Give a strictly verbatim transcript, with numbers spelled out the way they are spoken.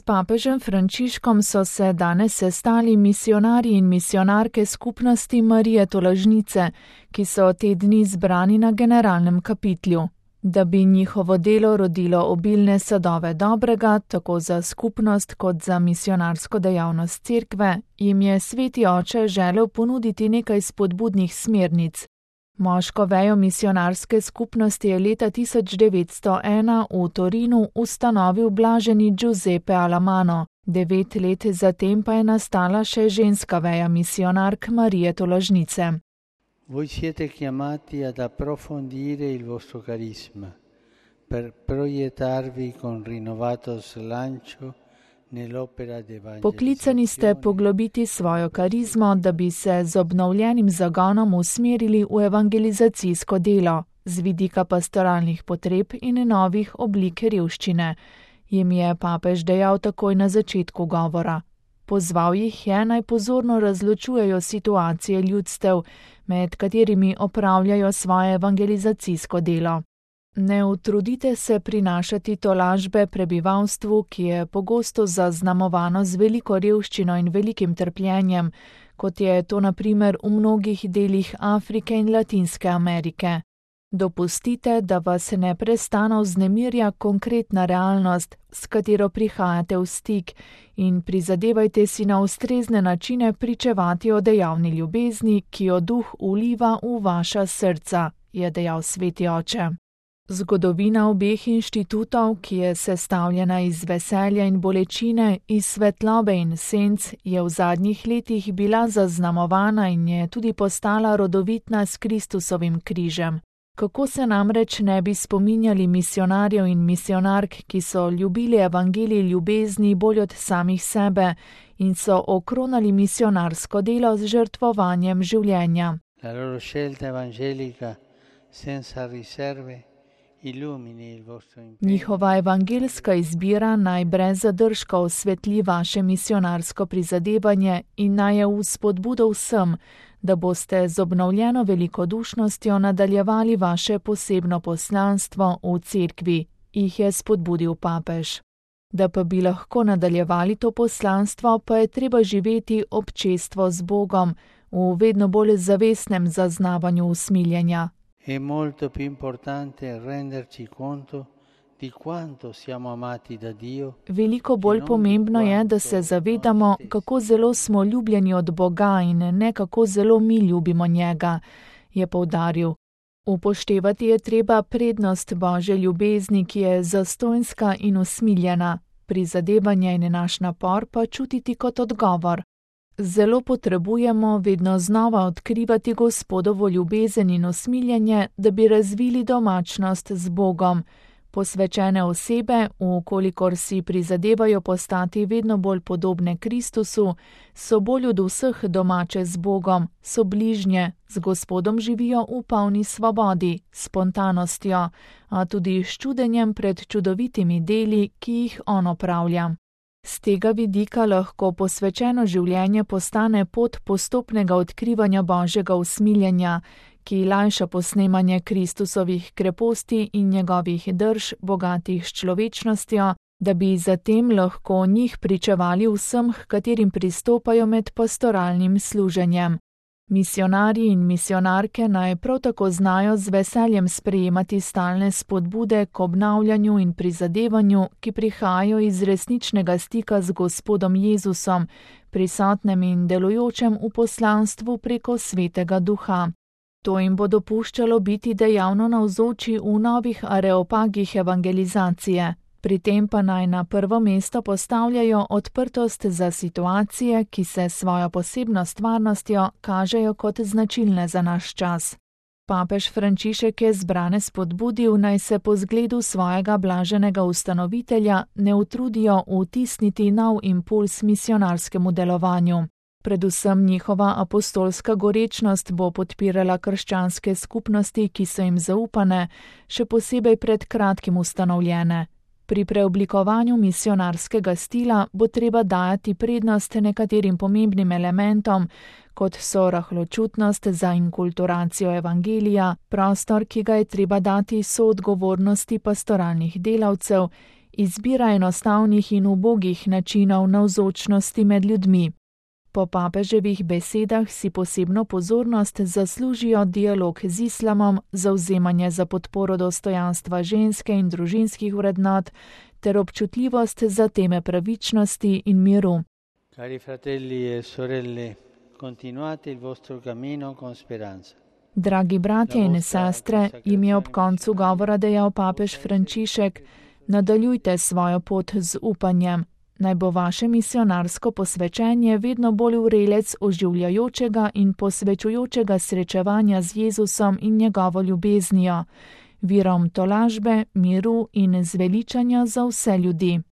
papežem Frančiškom so se danes sestali misijonarji in misijonarke skupnosti Marije Tolažnice, ki so te dni zbrani na generalnem kapitlju. Da bi njihovo delo rodilo obilne sadove dobrega, tako za skupnost kot za misijonarsko dejavnost cerkve, jim je Sveti Oče želel ponuditi nekaj spodbudnih smernic. Moško vejo misijonarske skupnosti je leta tisoč devetsto ena v Torinu ustanovil blaženi Giuseppe Alamano, devet let zatem pa je nastala še ženska veja misijonark Marije Tolažnice. Voi siete chiamati ad approfondire il vostro carisma per proiettarvi con rinnovato slancio nell'opera d'evangelizzazione. Poklicani ste poglobiti svojo karizmo, da bi se z obnovljenim zagonom usmerili v evangelizacijsko delo, z vidika pastoralnih potreb in novih oblik revščine, jim je papež dejal takoj na začetku govora. Pozval jih je, naj pozorno razločujejo situacije ljudstev, med katerimi opravljajo svoje evangelizacijsko delo. Ne utrudite se prinašati tolažbe prebivalstvu, ki je pogosto zaznamovano z veliko revščino in velikim trpljenjem, kot je to na primer v mnogih delih Afrike in Latinske Amerike. Dopustite, da vas neprestano vznemirja konkretna realnost, s katero prihajate v stik, in prizadevajte si na ustrezne načine pričevati o dejavni ljubezni, ki jo duh vliva v vaša srca, je dejal Sveti Oče. Zgodovina obeh inštitutov, ki je sestavljena iz veselja in bolečine, iz svetlobe in senc, je v zadnjih letih bila zaznamovana in je tudi postala rodovitna s Kristusovim križem. Kako se namreč ne bi spominjali misijonarjev in misijonark, ki so ljubili evangelij ljubezni bolj od samih sebe in so okronali misijonarsko delo z žrtvovanjem življenja. La loro scelta evangelica senza riserve illumini il vostro impegno. Njihova evangeljska izbira naj brez zadržka osvetli vaše misijonarsko prizadevanje in naj je v spodbudo vsem, da boste z obnovljeno velikodušnostjo nadaljevali vaše posebno poslanstvo v cerkvi, jih je spodbudil papež. Da pa bi lahko nadaljevali to poslanstvo, pa je treba živeti občestvo z Bogom, v vedno bolj zavestnem zaznavanju usmiljenja. È molto più importante renderci conto di quanto siamo amati da Dio. Veliko bolj pomembno je, da se zavedamo, kako zelo smo ljubljeni od Boga in ne kako zelo mi ljubimo njega, je poudaril. Upoštevati je treba prednost Božje ljubezni, ki je zastonjska in usmiljena, prizadevanje in naš napor pa čutiti kot odgovor. Zelo potrebujemo vedno znova odkrivati Gospodovo ljubezen in usmiljenje, da bi razvili domačnost z Bogom. Posvečene osebe, vkolikor si prizadevajo postati vedno bolj podobne Kristusu, so bolj od vseh domače z Bogom, so bližnje, z Gospodom živijo v polni svobodi, spontanostjo, a tudi s čudenjem pred čudovitimi deli, ki jih on opravlja. Z tega vidika lahko posvečeno življenje postane pot postopnega odkrivanja Božjega usmiljenja, ki lajša posnemanje Kristusovih kreposti in njegovih drž, bogatih s človečnostjo, da bi zatem lahko o njih pričevali vsem, h katerim pristopajo med pastoralnim služenjem. Misijonarji in misijonarke naj prav tako znajo z veseljem sprejemati stalne spodbude k obnavljanju in prizadevanju, ki prihajajo iz resničnega stika z Gospodom Jezusom, prisotnem in delujočem v poslanstvu preko Svetega Duha. To jim bo dopuščalo biti dejavno navzoči v novih areopagih evangelizacije. Pri tem pa naj na prvo mesto postavljajo odprtost za situacije, ki se svojo posebno stvarnostjo kažejo kot značilne za naš čas. Papež Frančišek je zbrane spodbudil, naj se po zgledu svojega blaženega ustanovitelja ne utrudijo vtisniti nov impuls misionarskemu delovanju. Predvsem njihova apostolska gorečnost bo podpirala krščanske skupnosti, ki so jim zaupane, še posebej pred kratkim ustanovljene. Pri preoblikovanju misionarskega stila bo treba dajati prednost nekaterim pomembnim elementom, kot so rahločutnost za inkulturacijo evangelija, prostor, ki ga je treba dati soodgovornosti pastoralnih delavcev, izbira enostavnih in ubogih načinov navzočnosti med ljudmi. Po papeževih besedah si posebno pozornost zaslužijo dialog z islamom, zavzemanje za podporo dostojanstva ženske in družinskih vrednot ter občutljivost za teme pravičnosti in miru. Cari fratelli e sorelle, continuate il vostro cammino con speranza. Dragi bratje in sestre, jim je ob koncu govora dejal papež Frančišek, nadaljujte svojo pot z upanjem. Naj bo vaše misionarsko posvečenje vedno bolj vrelec oživljajočega in posvečujočega srečevanja z Jezusom in njegovo ljubeznijo, virom tolažbe, miru in zveličanja za vse ljudi.